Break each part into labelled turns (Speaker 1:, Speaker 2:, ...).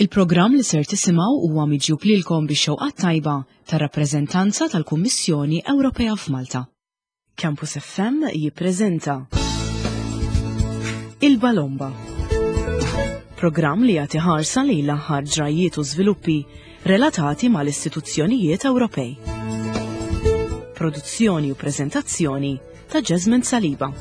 Speaker 1: Il-programm li ser tisimgħu huwa miġjub lilkom bix-xewqat tajba tar-rappreżentanza tal-Kummissjoni Ewropea f'Malta. Campus FM jippreżenta Il-Balomba. Programm li jagħti ħarsa lejn l-aħħar ġrajjiet u żviluppi relatati mal-istituzzjonijiet Ewropej. Produzzjoni u preżentazzjoni ta' Jasmine Saliba.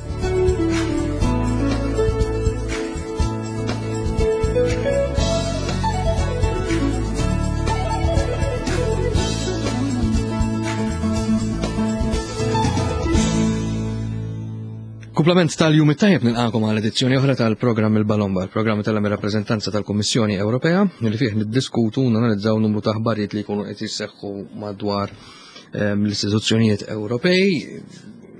Speaker 2: Kumplament tal-jum it-tajjeb nilqakom għal edizzjoni oħra tal-programm il-Balomba, il-programm tal-rappreżentanza tal-Kummissjoni Ewropea, li fih niddiskutu u nanalizzaw numru ta' aħbarijiet li jkunu qed jisseħħu madwar ehm, l-istituzzjonijiet Ewropej,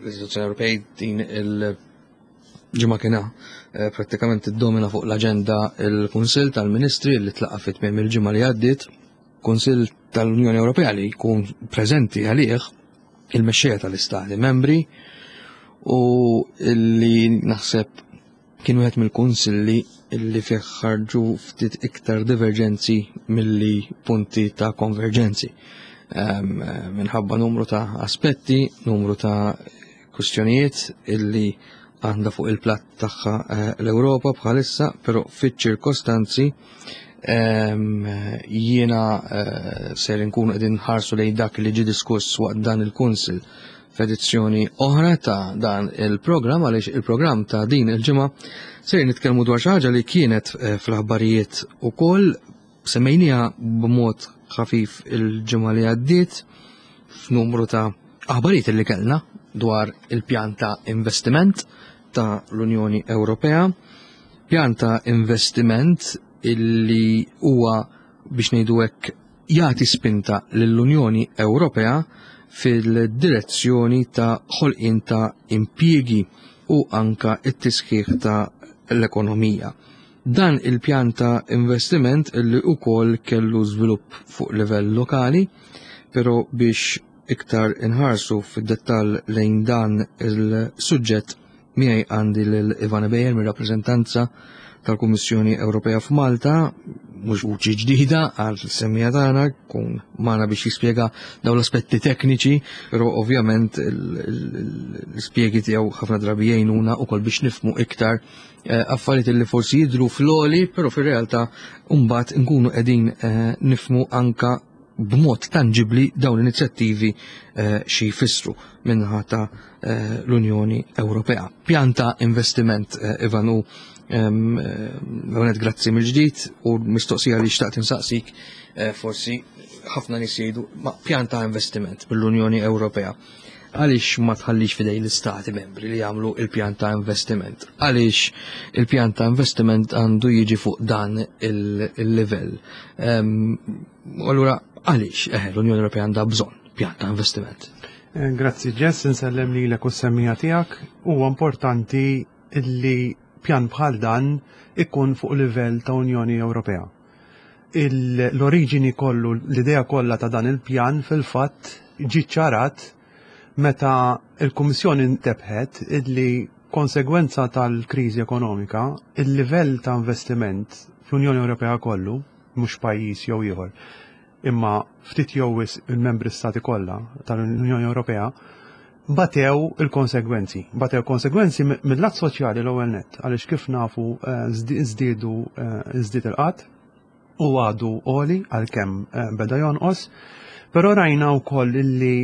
Speaker 2: l-istituzzjoni Ewropej din il-ġimgħa kiena eh, prattikament iddomina fuq l-aġenda il-Kunsill tal-Ministri li tlaqa' fit tmiem il-ġimgħa li għaddiet, Kunsill tal-Unjoni Ewropea li jkun preżenti għalih il-mexxejja tal-istati membri u li naħseb Kien wieħed mill-kunsilli li fih ħarġu ftit iktar diverġenzi milli punti ta' konverġenzi. Ehm, minħabba numru ta' aspetti, numru ta' kwistjonijiet illi għandha fuq il-platt tagħha eh, l-Ewropa bħalissa, però fiċ-ċirkostanzi ehm, jiena eh, ser inkunu qegħdin ħarsu lejn dak li ġie diskuss waqt dan il-kunsil f'edizzjoni oħra ta' dan il-programm għaliex il-programm ta' din il-ġimgħa ser nitkellmu dwar xi ħaġa li kienet eh, fl-aħbarijiet ukoll semmejniha b'mod ħafif il-ġimgħa li għaddiet f'numru ta' aħbarijiet li kellna dwar il-pjan ta' investiment ta' l-Unjoni Ewropea, pjan ta' investiment illi huwa biex ngħidu hekk jagħti spinta lill-Unjoni Ewropea fil-direzzjoni ta' ħolqien ta' impjiegi u anka t-tisħiħ ta' l-ekonomija. Dan il-pjan ta' investiment li wkoll kellu żvilupp fuq livell lokali, però biex iktar inħarsu fid-dettall lejn dan il-suġġett Miegħi għandi lil Ivana Bejer mir-rappreżentanza tal-Kummissjoni Ewropea f'Malta, mhux vuċi ġdida għal semmija tagħna, kun magħna biex jispjega dawn l-aspetti tekniċi, però ovvjament l-ispjegi tiegħu ħafna drabi jgħinuna wkoll biex nifmu iktar eh, affarijiet li forsi jidhru fl-oli, però fir-realtà mbagħad nkunu qegħdin eh, nifmu anka b'mod tanġibli dawn l-inizjattivi eh, xi jfissru minnaħa ta' eh, l-Unjoni Ewropea. Pjan ta' investiment eh, Ivan u għonet grazzi mill-ġdid u mistoqsija li xtaqt insaqsik forsi ħafna nies jgħidu ma' pjan ta' investiment mill-Unjoni Ewropea. Għaliex ma tħallix fidej l-istati membri li jagħmlu il-pjan ta' investiment? Għaliex il-pjan ta' investiment għandu jiġi fuq dan il-livell? Allura għaliex eh, l-Unjoni Ewropea għandha bżonn pjan ta' investiment?
Speaker 3: Eh, grazzi Jess, insellem lilek u s-semmija tiegħek. Huwa importanti li pjan bħal dan ikun fuq livell ta' Unjoni Ewropea. L-oriġini kollu, l-idea kollha ta' dan il-pjan fil-fatt ġi ċarat meta l-Kummissjoni ntebħet illi konsegwenza tal-kriżi ekonomika, il-livell ta' investiment fl-Unjoni Ewropea kollu, mhux pajjiż jew ieħor, imma ftit jew wisq il-membri stati kollha tal-Unjoni Ewropea batew il-konsegwenzi. Batew konsegwenzi mill-lat soċjali l-ewwel nett, għaliex kif nafu eh, żdiedu eh, żdied il-qatt u għadu għoli għalkemm eh, beda jonqos, però rajna wkoll li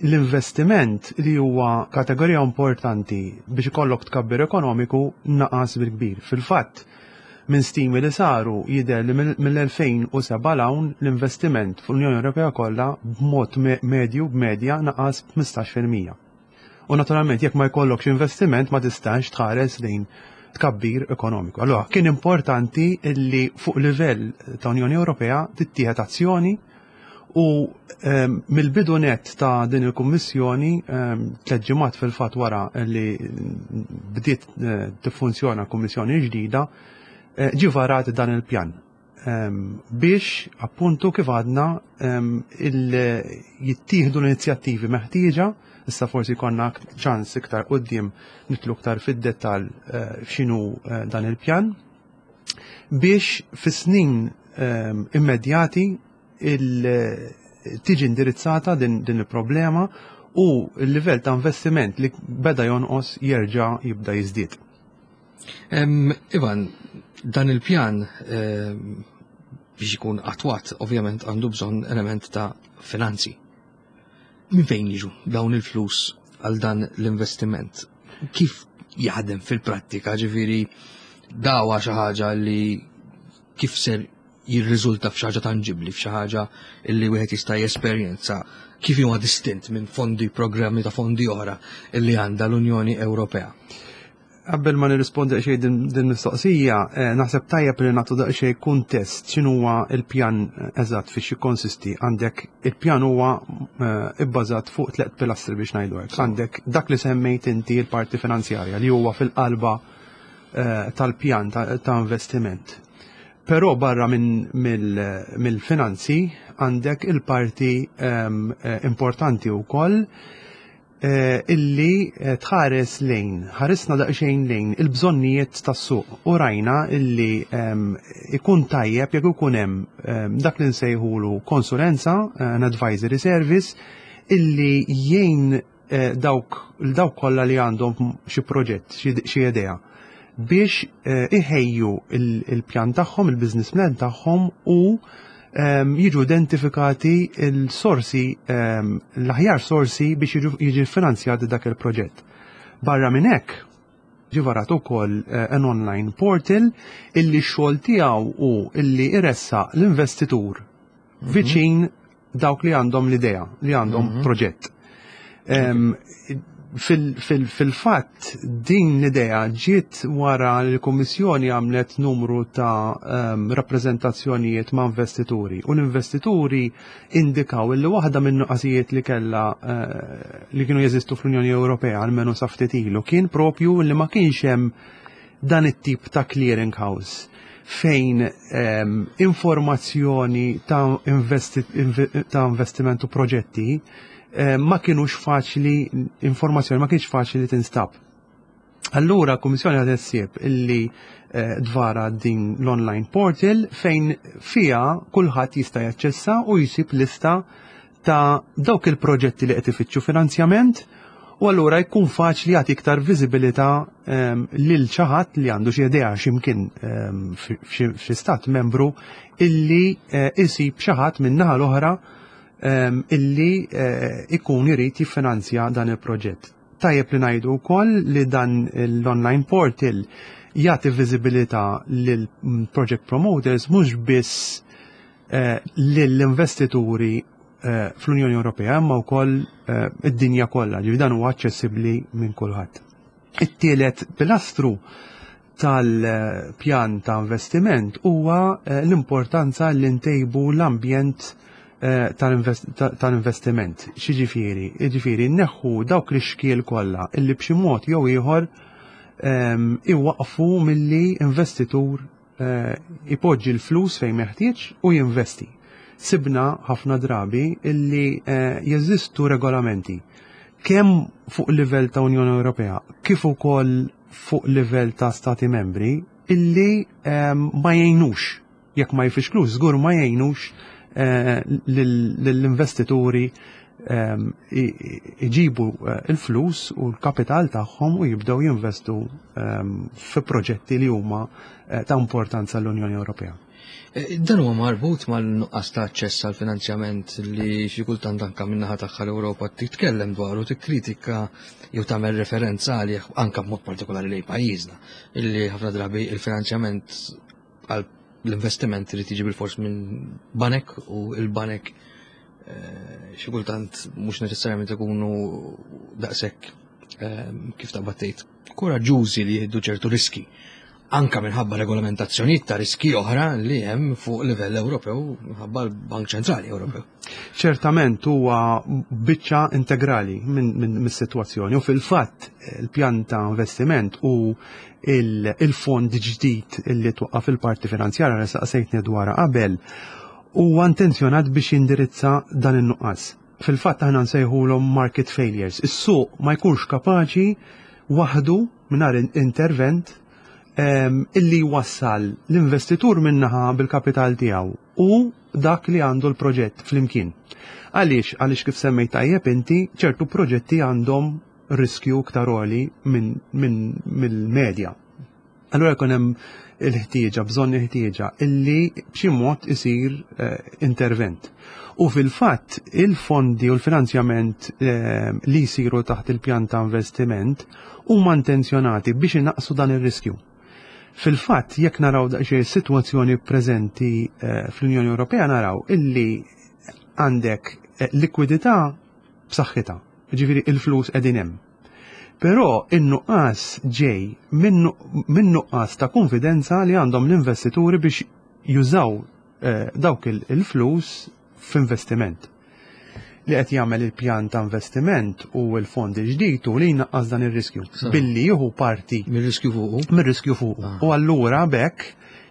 Speaker 3: L-investiment li huwa kategorija importanti biex ikollok tkabbir ekonomiku naqas bil-kbir. Fil-fatt, minn stimi li saru jidher li mill-2007 'l hawn l-investiment fl-Unjoni Ewropea kollha b'mod medju b'medja naqas b'15%. U naturalment jekk ma jkollokx investiment ma tistax tħares lejn tkabbir ekonomiku. Allura kien importanti li fuq livell ta' Unjoni Ewropea tittieħed azzjoni U ehm, mill-bidu net ta' din il-kummissjoni, ehm, tliet ġimgħat fil-fatt wara li bdiet eh, tiffunzjona kummissjoni ġdida, eh, ġi varat dan il-pjan ehm, biex appuntu kif għadna jittieħdu l-inizjattivi meħtieġa, issa forsi konna ċans iktar qudiem nitlu iktar fid-dettall eh, x'inhu dan il-pjan, biex fis-snin immedjati tiġi indirizzata din il-problema u l-livell ta' investiment li beda jonqos jerġa' jibda jiżdied.
Speaker 2: Ivan, dan il-pjan biex ikun attwat ovvjament għandu bżonn element ta' finanzi. Min fejn jiġu dawn il-flus għal dan l-investiment? Kif jaħdem fil-prattika, ġifieri dawa xi ħaġa li kif ser jirriżulta f'xi ħaġa tanġibbli, f'xi ħaġa li wieħed jista' jesperjenza, kif huwa distint minn fondi, programmi ta' fondi oħra li għandha l-Unjoni Ewropea?
Speaker 3: Qabel ma nirrispondi xejn din mistoqsija, naħseb tajjeb li nagħtu daqsxejn kuntest x'inhuwa l-pjan eżatt fiex jikkonsisti. Għandek il-pjan huwa ibbażat fuq tliet pilastri biex ngħidu hekk. Għandek dak li semmejt inti l-parti finanzjarja li huwa fil-qalba tal-pjan ta' investiment. Però barra mill-finanzi għandek il-parti importanti wkoll illi tħares lejn, ħarisna daqsxejn lejn il-bżonnijiet tas-suq u rajna illi ikun tajjeb jekk ikun hemm dak li nsejħulu konsulenza, an advisory service, illi jgħin dawk dawk kollha li għandhom xi proġett, xi idea biex iħejju il-pjan tagħhom, il-business plan tagħhom u jiġu identifikati il-sorsi, l-aħjar sorsi biex jiġi finanzjat dak il-proġett. Barra minn hekk, ġie varat ukoll an online portal illi x-xogħol tiegħu hu illi iressaq l-investitur viċin dawk li għandhom l-idea, li għandhom proġett. Fil-fatt din l-idea ġiet wara li l-Kummissjoni għamlet numru ta' rappreżentazzjonijiet ma' investituri u l-investituri indikaw li waħda minn nuqqasijiet li kella li kienu jeżistu fl-Unjoni Ewropea almenu sa ftit ilu kien propju li ma kienx hemm dan it-tip ta' clearing house fejn informazzjoni ta' investiment u proġetti ma kienux faċli, informazzjoni ma kienx faċli li tinstab. Allura l-Kummissjoni ħadet ħsieb illi dvara din l-online portal fejn fija kulħadd jista' jaċċessa u jsib lista ta' dawk il-proġetti li qed ifittxu finanzjament u allura jkun faċli jagħti iktar viżibilità lil xi ħadd li għandu xi idea x'imkien f'xi stat membru illi isib xi ħadd min-naħa l-oħra illi ikun irid jiffinanzja dan il-proġett. Tajjeb li ngħidu wkoll li dan l-online portal jagħti viżibilità lil project promoters mhux biss lill-investituri fl-Unjoni Ewropea imma wkoll id-dinja kollha, ġifieri dan huwa aċċessibbli minn kulħadd. It-tielet pilastru tal-pjan ta' investiment huwa l-importanza li ntejbu l-ambjent tal-investiment. X'jiġifieri? Jiġifieri nneħħu dawk l-ixkiel kollha illi b'xi mod jew ieħor iwaqfu milli investitur ipoġġi l-flus fejn meħtieġ u jinvesti. Sibna ħafna drabi illi jeżistu regolamenti kemm fuq livell ta' Unjoni Ewropea kif ukoll fuq livell ta' stati membri illi ma jgħinux, jekk ma jfixklux, żgur ma jgħinux lill-investituri iġibu il-flus u l-kapital tagħhom u jibdew jinvestu fi proġetti li huma ta' importanza l-Unjoni Ewropea.
Speaker 2: Dan huwa marbut mal-nuqqas ta' aċċess għal finanzjament li xi kultant anke min-naħa tagħha l-Ewropa titkellem dwar u tikkritika jew tagħmel referenza għalih anke b'mod partikolari lejn pajjiżna, illi ħafna drabi il-finanzjament għal l-investiment irid jiġi bilfors minn banek u l-banek xi kultant mhux neċessarjament ikunu daqshekk kif taqbad tgħid koraġġużi li jieħdu ċertu riski anka minħabba regolamentazzjonijiet ta' riski oħra li hemm fuq livell Ewropew minħabba l-Bank Ċentrali Ewropew.
Speaker 3: Ċertament huwa biċċa integrali minn mis-sitwazzjoni u fil-fatt il-pjan ta' investiment u il-fond ġdid illi twaqqaf il-parti finanzjarja li saqsejtni dwarha qabel huwa intenzjonat biex jindirizza dan in-nuqqas. Fil-fatt aħna nsejħulhom market failures. Is-suq ma jkunx kapaċi waħdu mingħajr intervent. Illi jwassal l-investitur minnaħa bil-kapital tiegħu u dak li għandu l-proġett flimkien. Għaliex? Għaliex kif semmejt tajjeb inti, ċertu proġetti għandhom riskju iktar għoli minn mill-medja. Allura jkun hemm il-ħtieġa, bżonn il-ħtieġa illi b'xi mod isir intervent. U fil-fatt il-fondi u l-finanzjament li jsiru taħt il-pjan ta' investiment huma intenzjonati biex inaqqsu dan ir-riskju. Fil-fatt, jekk naraw daqsxejn is-sitwazzjoni preżenti fl-Unjoni Ewropea naraw illi għandek likwidità b'saħħitha, ġifieri il-flus qegħdin hemm. Però in-nuqqas ġej minn nuqqas ta' konfidenza li għandhom l-investituri biex jużaw dawk il-flus f'investiment. Li qed jagħmel il-pjan ta' investiment u l-fond il-ġdid u li jnaqqas dan ir-riskju billi jieħu parti
Speaker 2: mir-riskju fuqu.
Speaker 3: Mir-riskju fuqu. U allura bekk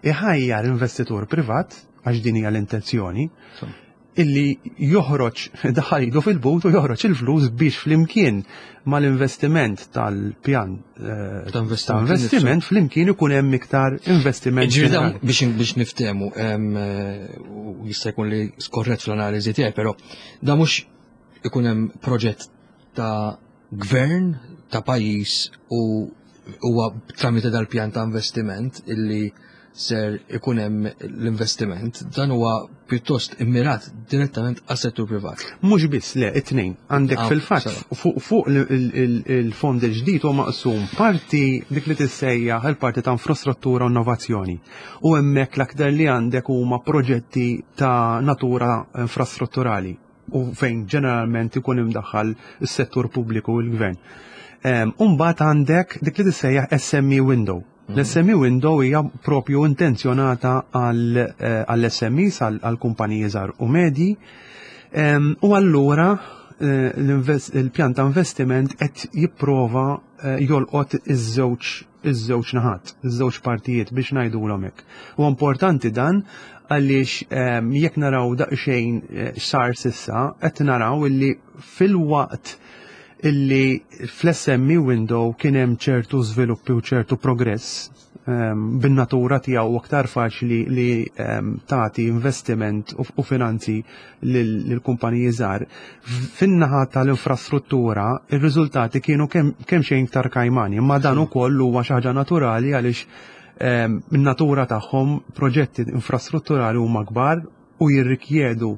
Speaker 3: iħajjar investitur privat, għax din hija l-intenzjoni, illi joħroġ daħal idu fil-but u joħroġ il-flus biex flimkien mal-investiment tal-pjan
Speaker 2: ta'
Speaker 3: ta' investiment flimkien ikun hemm iktar investiment.
Speaker 2: Ġifieri dan biex niftehmu, u jista' jkun li skorrett fl-analiżi tiegħi, però da mhux ikun hemm proġett ta' gvern ta' pajjiż u huwa tramite dal-pjan ta' investiment illi ser ikun hemm l-investiment, dan huwa pjuttost immirat direttament għas-settur privat.
Speaker 3: Mhux biss, le, it-tnejn. Għandek fil-fatt fuq il-fond il-ġdid huwa maqsum parti dik li tissejjaħ il-parti ta' infrastruttura u innovazzjoni. U hemmhekk l-aktar li għandek huma proġetti ta' natura infrastrutturali u fejn ġeneralment ikun imdaħħal is-settur pubbliku u l-gvern. Umbagħad għandek dik li tissejjaħ SME window. L-SME window hija propju intenzjonata għall-SMEs, għall-kumpaniji żgħar u medji. U allura il-pjan ta' investiment qed jipprova jolqot iż-żewġ naħat, iż-żewġ partijiet biex ngħidulhom hekk. U importanti dan għaliex jekk naraw daqsxejn x'sar s'issa, qed naraw illi fil-waqt illi fl-SME window kien hemm ċertu żviluppi u ċertu progress, bin-natura tiegħu aktar faċli li tagħti investiment u finanzi lill-kumpaniji żgħar. Fin-naħa tal-infrastruttura ir-riżultati kienu kemm xejn iktar kajmani, imma dan ukoll huwa xi ħaġa naturali għaliex min-natura tagħhom proġetti infrastrutturali huma kbar u jirrikjedu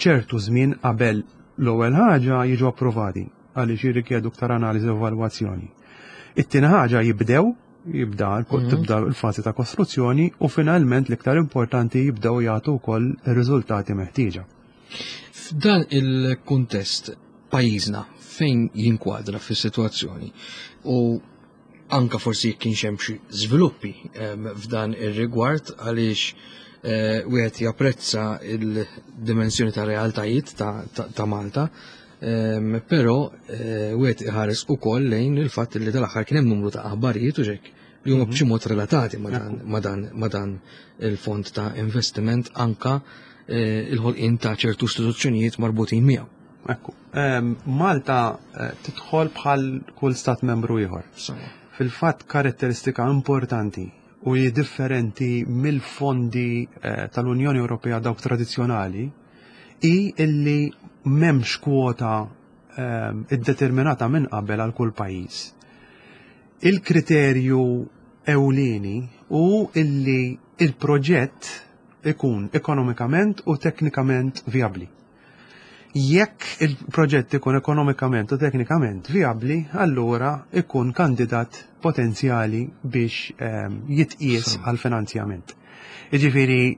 Speaker 3: ċertu żmien qabel l-ewwel ħaġa jiġu approvati għaliex jirrikjedu iktar analiżi u evalwazzjoni. It-tieni ħaġa jibda tibda l-fażi ta' kostruzzjoni u finalment l-iktar importanti jibdew jagħtu wkoll ir-riżultati meħtieġa.
Speaker 2: F'dan il-kuntest pajjiżna fejn jinkwadra fis-sitwazzjoni u anka forsi jekk kienx hemm xi żviluppi f'dan ir-rigward għaliex wieħed japprezza il-dimensjoni ta' realtajiet ta' Malta, però wieħed iħares ukoll lejn il-fatt li tal-aħħar kien hemm numru ta' aħbarijiet u xek li huma b'xi mod relatati ma' dan il-fond ta' investiment anka il-ħolqien ta' ċertu istituzzjonijiet marbutin miegħu.
Speaker 3: Ekku, Malta tidħol bħal kull stat membru ieħor. Fil-fatt karatteristika importanti u hi differenti mill-fondi tal-Unjoni Ewropea dawk tradizzjonali hi illi m'hemmx kwota iddeterminata minn qabel għal kull pajjiż. Il-kriterju ewlieni hu illi il-proġett ikun ekonomikament u teknikament viabli. Jekk il-proġett ikun ekonomikament u teknikament viabli, allura ikun kandidat potenzjali biex jitqies għal finanzjament. Jiġifieri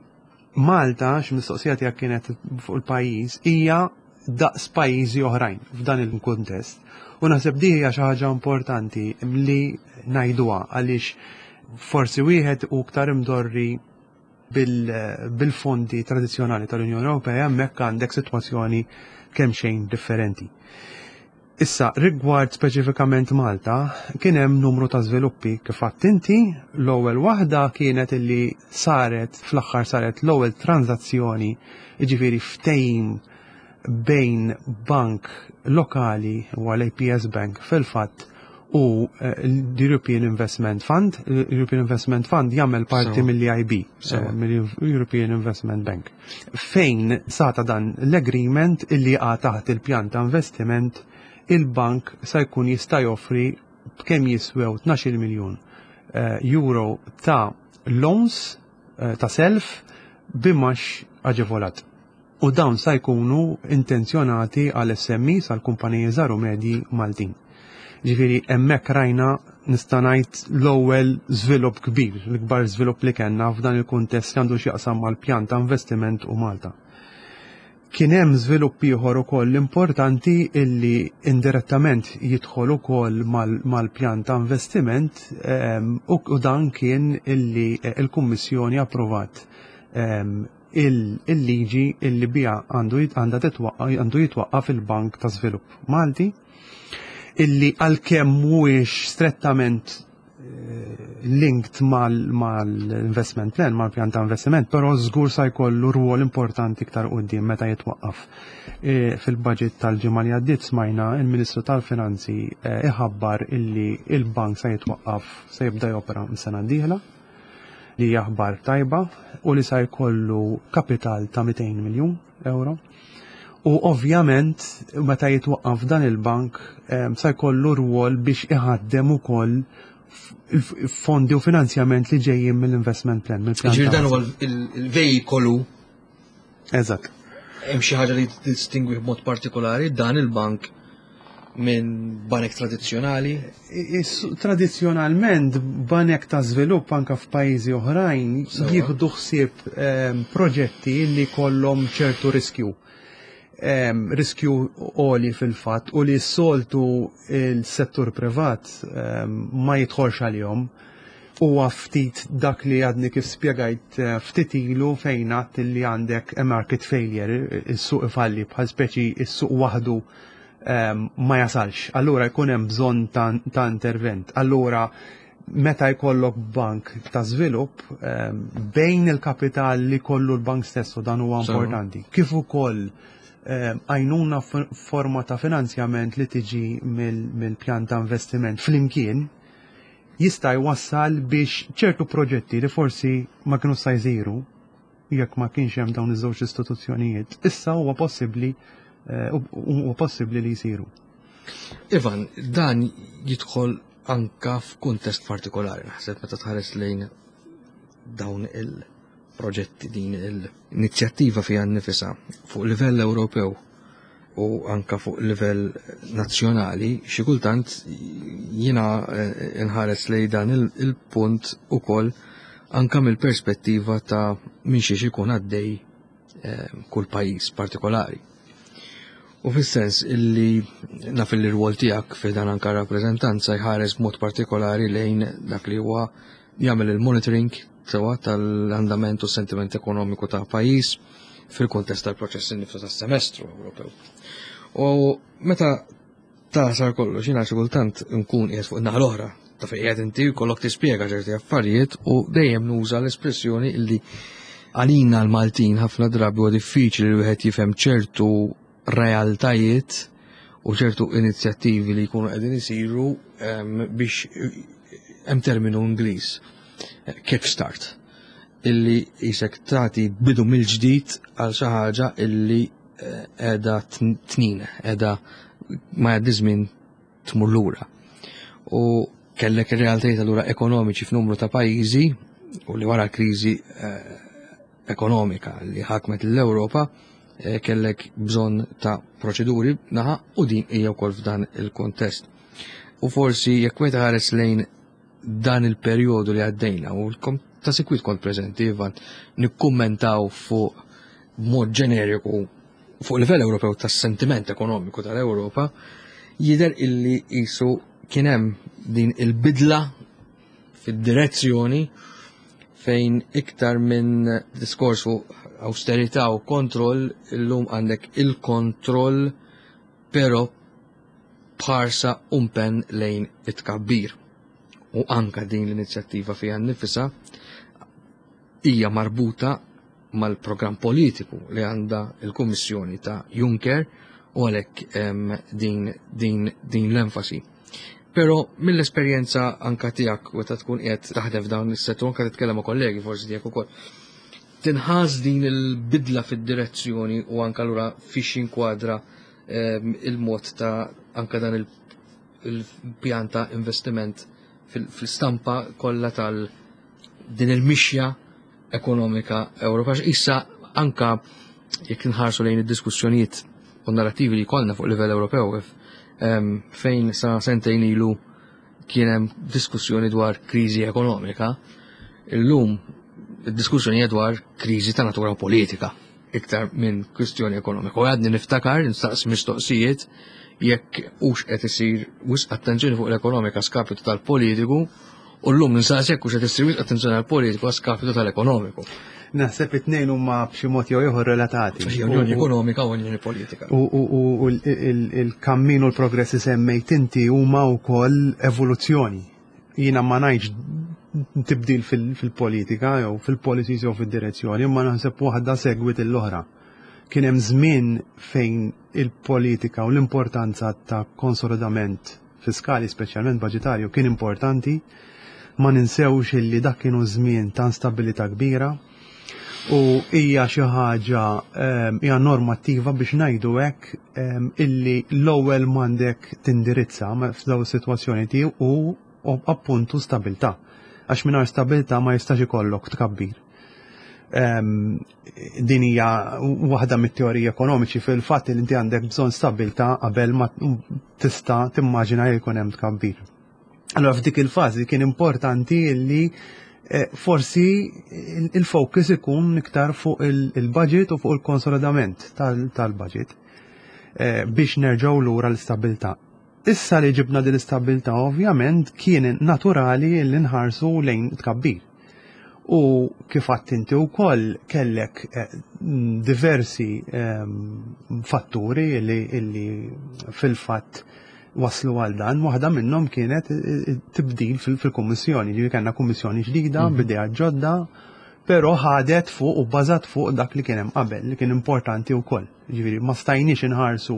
Speaker 3: Malta, x'mistoqsija tiegħek kienet fuq il-pajjiż, hija daqs pajjiżi oħrajn f'dan il-kuntest. U naħseb di hija xi ħaġa importanti li ngħiduha għaliex forsi wieħed u iktar imdorri bil-fondi tradizzjonali tal-Unjoni Ewropea, hemmhekk għandek sitwazzjoni kemm xejn differenti. Issa, rigward speċifikament Malta, kien hemm numru ta' żviluppi kif għedt inti. L-ewwel waħda kienet illi saret fl-aħħar saret l-ewwel tranzazzjoni, jiġifieri ftehim bejn bank lokali u għal APS Bank fil-fatt. u l-European Investment Fund. L-European Investment Fund jagħmel parti mill-EIB, mill-European Investment Bank. Fejn sata dan l-agreement illi jaqa' taħt il-pjan ta' investiment, il-bank sa jkun jista' joffri b'kemm jiswew 12 miljun euro ta' loans, ta' self b'imgħax aġevolat. U dawn sa jkunu intenzjonati għal SMEs, għal kumpaniji żgħar u medji Maltin. Ġifieri hemmhekk rajna, nista' ngħid, l-ewwel żvilupp kbir, l-ikbar żvilupp li kellna f'dan il-kuntest li għandu x'jaqsam mal-pjan ta' investiment u Malta. Kien hemm żvilupp ieħor ukoll importanti illi indirettament jidħol ukoll mal-pjan ta' investiment, u dan kien illi l-Kummissjoni approvat il-liġi illi biha għandu jitwaqqaf il-Bank ta' Żvilupp Malti, illi għalkemm mhuwiex strettament linked mal-investment plan, mal-pjan ta' investiment, però żgur sa jkollu rwol importanti iktar quddiem meta jitwaqqaf. Fil-budget tal-ġimgħa li għaddiet smajna il-Ministru tal-Finanzi iħabbar illi il-bank sa jitwaqqaf, sa jibda jopera mis-sena d-dieħla, li hija aħbar tajba, u li sa jkollu kapital ta' 200 miljun euro. U ovvjament meta jitwaqqaf dan il-bank sa jkollu rwol biex iħaddem ukoll fondi u finanzjament li ġejjin mill-investment plan. Mill-pjan
Speaker 2: Ġifieri
Speaker 3: ta'
Speaker 2: dan huwa
Speaker 3: investiment.
Speaker 2: il-vejkolu.
Speaker 3: Eżatt.
Speaker 2: Hemm xi ħaġa li distingwi b'mod partikolari dan il-bank minn banek tradizzjonali?
Speaker 3: Tradizzjonalment banek ta' żvilupp anka f'pajjiżi oħrajn jieħdu ħsieb proġetti li kollhom ċertu riskju. Riskju għoli fil-fatt u li s-soltu il-settur privat ma jidħolx għalihom. Huwa ftit dak li għadni kif spjegajt ftit ilu fejn għadt li għandek a market failure, is-suq ifalli bħal speċi is-suq waħdu ma jasalx. Allura jkun hemm bżonn ta' intervent. Allura meta jkollok bank ta' żvilupp bejn il-kapital li kollu l-bank stess, u dan huwa importanti, kif ukoll għajnuna forma ta' finanzjament li tiġi mill-pjan ta' investiment flimkien, jista' jwassal biex ċertu proġetti li forsi ma kienu sa jsiru jekk ma kienx hemm dawn iż-żewġ istituzzjonijiet, issa huwa possibbli li jsiru.
Speaker 2: Ivan, dan jidħol anka f'kuntest partikolari, naħseb meta tħares lejn dawn il-proġetti, din l-inizjattiva fiha nnifisha fuq livell Ewropew u anka fuq livell nazzjonali, xi kultant jiena nħares lejn dan il-punt ukoll anka mill-perspettiva ta' minn xiex ikun għaddej kull pajjiż partikolari. U fis-sens illi naf li r-rwol tiegħek fi dan anka rappreżentanza jħares b'mod partikolari lejn dak li huwa jagħmel il-monitoring sewa tal-andament u sentiment ekonomiku ta' pajjiż fil-kuntest tal-proċess innifsu tas-semestru Ewropew. U meta tasar kollox, jiena xi kultant nkun qiegħed fuq in-naħa l-oħra ta' fejn qiegħed inti jkollok tispjega ċerti affarijiet u dejjem nuża l-espressjoni illi għalina l-Maltin ħafna drabi huwa diffiċli li wieħed jifhem ċertu realtajiet u ċertu inizjattivi li jkunu qegħdin isiru biex hemm terminu Ingliż, kickstart, illi jisek tagħti bidu mill-ġdid għal xi ħaġa illi qiegħda tnin, qiegħda ma jgħaddi żmien tmur lura. U kellek ir-realtajiet allura ekonomiċi f'numru ta' pajjiżi u li wara l-kriżi ekonomika li ħakmet l-Ewropa kellek bżonn ta' proċeduri naħa u din hija wkoll f'dan il-kontest. U forsi jekk wieħed ħares lejn dan il-perjodu li għaddejna u ta' sikwit kont preżenti, Ivan, nikkummentaw fuq mod ġeneriku fuq livell Ewropew tas-sentiment ekonomiku tal-Ewropa, jidher illi qisu kien hemm din il-bidla fid-direzzjoni fejn iktar minn diskors fuq austerità u kontroll, illum għandek il-kontroll però b'ħarsa umpen lejn it-tkabbir. U anka din l-inizjattiva fiha nnifisha hija marbuta mal-programm politiku li għandha il-Kummissjoni ta' Juncker u għalhekk din l-enfasi. Però mill-esperjenza anka tiegħek meta tkun qiegħed taħdem f'dawn is-settur anka titkellem ma' kollegi forsi tiegħek ukoll. Tinħass din il-bidla fid-direzzjoni u anka lura fiex jinkwadra il-mod ta' anka dan il-pjan ta' investiment fil-stampa kollha tal din il-mixja ekonomika Ewropea. Issa anka jekk inħarsu lejn id-diskussjonijiet u narrativi li jkollna fuq livell Ewropew fejn sa sentejn ilu kien hemm diskussjoni dwar kriżi ekonomika, illum id-diskussjoni hija dwar kriżi ta' natura politika iktar minn kwistjoni ekonomika. U għadni niftakar, nistaqsi mistoqsijiet jekk hux qed isir wisq attenzjoni fuq l-ekonomika skapitu tal-politiku u llum nistaqsi jekk hux qed isir wisq attenzjoni għall-politiku skapitu tal-ekonomiku.
Speaker 3: Naħseb it-tnejn huma b'xi mod jew ieħor relatati.
Speaker 2: Unjoni ekonomika u unjoni politika.
Speaker 3: U il-kammin u l-progress li semmejt inti huma wkoll evoluzzjoni. Jiena ma ngħidx tibdil fil-politika jew fil-policies jew fid-direzzjoni, imma naħseb waħda segwit l-oħra. Kien hemm żmien fejn il-politika u l-importanza ta' konsolidament fiskali, speċjalment budgetarju, kien importanti. Ma ninsewx illi dak kienu żmien ta' instabilità kbira u hija xi ħaġa hija normattiva biex ngħidu hekk illi l-ewwel m'għandek tindirizza f'dawn is-sitwazzjoni tiegħu u appuntu stabilità. Għax mingħajr stabilità ma jistax ikollok tkabbir. Din hija waħda mit-teoriji ekonomiċi fil-fatt li inti għandek bżonn stabilità qabel ma tista' timmaġina li jkun hemm tkabbir. Allora f'dik il-fażi kien importanti li forsi il-focus ikun iktar fuq il-budget u fuq il-konsolidament tal-budget biex nerġgħu lura l-istabilità. Issa li ġibna din l-istabilità ovvjament kien naturali li nħarsu lejn tkabbir. U kif għedt inti wkoll kellek diversi fatturi li fil-fatt waslu għal dan, waħda minnhom kienet tibdil fil-kummissjoni, ġifieri kellna kummissjoni ġdida, b'idea ġodda, però ħadet fuq u bbażat fuq dak li kien hemm qabel, li kien importanti wkoll. Ġifieri ma stajniex inħarsu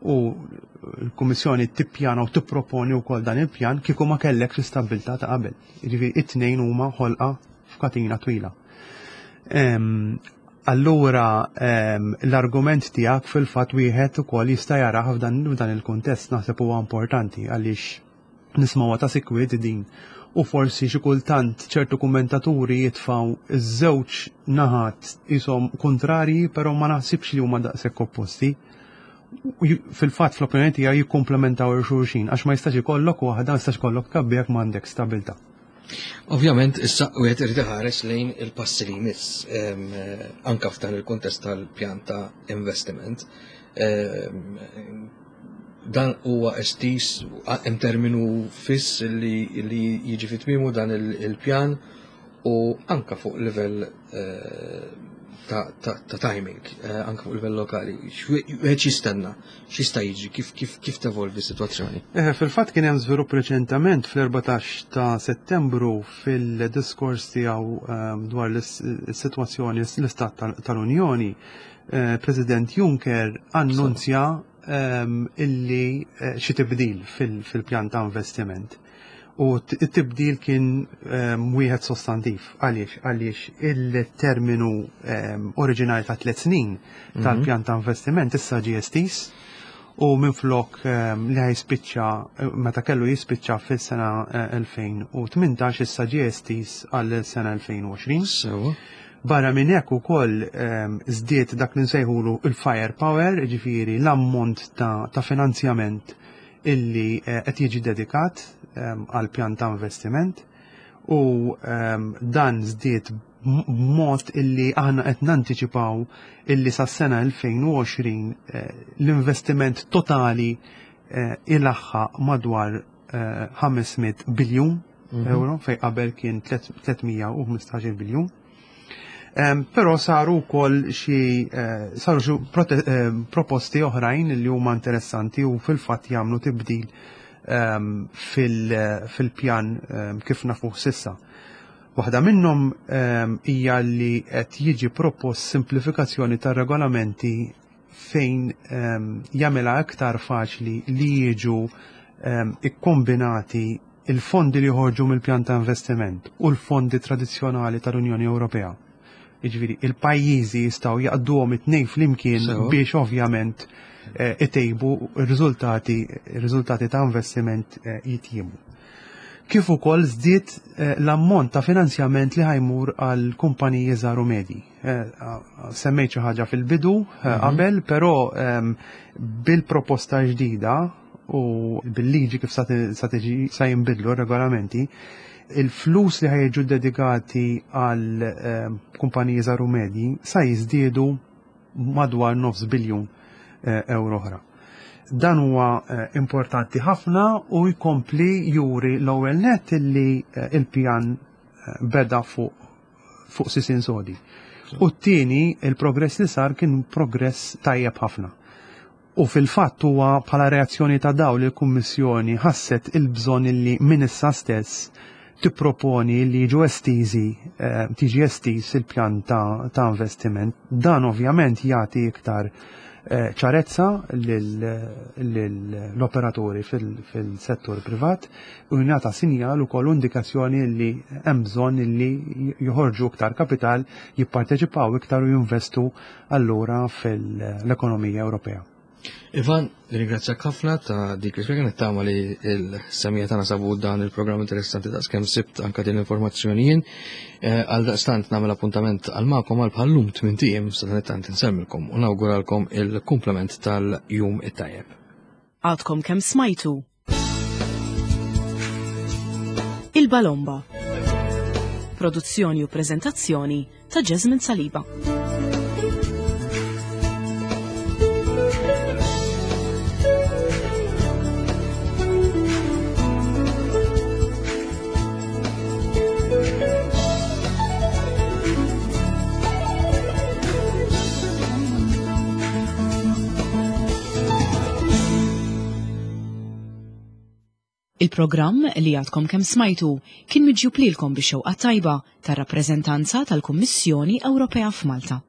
Speaker 3: u l-Kummissjoni tippjana u tipproponi wkoll dan il-pjan kieku ma kellekx l-istabbiltà ta' qabel. Ġifieri it-tnejn huma ħolqa f'katina twila. Allura l-argument tiegħek fil-fatt wieħed ukoll jista' jarah f'dan il-kuntest, naħseb huwa importanti għaliex nismgħuha ta' sikwit din u forsi xi kultant ċertu kummentaturi jitfgħu iż-żewġ naħat ishom kontrarji, però ma naħsibx li huma daqshekk opposti. Fil-fatt fl-opinjoni tiegħi jikkumplementaw il-xulxin għax ma jistax ikollok waħda, ma jistax ikollok tkabbir jekk m'għandek stabilità.
Speaker 2: Ovvjament, issa wieħed irid iħares lejn il-passi li jmiss anka f'dan il-kuntest tal-pjan ta' investiment. Dan huwa estiż, hemm terminu fiss li jiġi fi tmiemu dan il-pjan u anka fuq livell ta' timing, anka fuq livell lokali. Wieħed jistenna, x'jista' jiġri, kif tevolvi s-sitwazzjoni?
Speaker 3: Fil-fatt kien hemm żvilupp reċentament fl-14 ta' Settembru fil-diskors tiegħu dwar l-sitwazzjoni l-Istat tal-Unjoni, President Juncker annunzja illi xi tibdil fil-pjan ta' investiment. U t-tibdil kien wieħed sostantiv. Għaliex? Għaliex il-terminu oriġinali ta' 3 snin tal-pjan ta' investiment issa ġie estiż u minflok li ħajspiċċa meta kellu jispiċċa fis-sena 2018 issa ġie estiż għal sena 2020. Barra minn hekk ukoll żdied dak li nsejħulu il-firepower, ġifieri l-ammont ta' finanzjament illi qed jiġi dedikat għal pjan ta' investiment u dan żdied b'mod illi aħna qed nantiċipaw illi sas-sena 2020 l-investiment totali ilaħħaq madwar 500 biljun euro fej qabel kien 315 biljun. Però saru wkoll xi saru xi proposti oħrajn li huma interessanti u fil-fatt jagħmlu tibdil fil-pjan kif nafuh s'issa. Waħda minnhom hija li qed jiġi propost simplifikazzjoni tar-regolamenti fejn jagħmilha iktar faċli li jiġu ikkombinati il-fondi li joħorġu mill-pjan ta' investiment u l-fondi tradizzjonali tal-Unjoni Ewropea. Jiġifieri il-pajjiżi jistgħu jaqduhom it-tnejn flimkien biex ovvjament eh, itejbu r-riżultati riżultati ta' investiment eh, jitjibu. Kif ukoll żdied eh, l-ammont ta' finanzjament li ħajmur għal kumpaniji żgħar u medji. Semmejt xi ħaġa fil-bidu mhm. qabel, però ehm, bil-proposta ġdida u bil-liġi kif sa tiġi sa jinbidlu r-regolamenti, il-flus li ħajġu dedikati għal ehm, kumpaniji żgħar u medji sa jiżdiedu madwar nofs biljun eh, euro oħra. Dan huwa eh, importanti ħafna u jkompli juri l-ewwel net illi eh, il-pjan beda fuq fuq sisin sodi. U t-tieni, il-progress li sar kien progress tajjeb ħafna. U fil-fatt huwa bħala reazzjoni ta' dawn li l-Kummissjoni ħasset il-bżonn illi minn issa stess tipproponi li jiġu estiżi, eh, tiġi estiż il-pjan ta', ta investiment. Dan ovvjament jagħti iktar eh, ċarezza l-operaturi fil-settur privat u jingħata sinjal ukoll indikazzjoni li hemm bżonn li joħorġu iktar kapital, jipparteċipaw iktar u jinvestu allura fil-ekonomija Ewropea.
Speaker 2: Ivan, ringrazzjak ħafna ta' dik li spjega nittama li l-semija tagħna sabu dan il-programm interessanti daqs kemm sibt anka din l-informazzjoni jien. Eh, għal daqstant nagħmel appuntament għal magħkom għal bħallum tmien ijiem sa dan it-tant insellmilkom u nawguralkom il-kumplament tal-jum it-tajjeb.
Speaker 1: Għadkom kemm smajtu Il-Balomba. Produzzjoni u prezentazzjoni ta' Jasmine Saliba. Il-programm li għadkom kemm smajtu kien miġjub lilkom bix-xewqa tajba tar-rappreżentanza tal-Kummissjoni Ewropea f'Malta.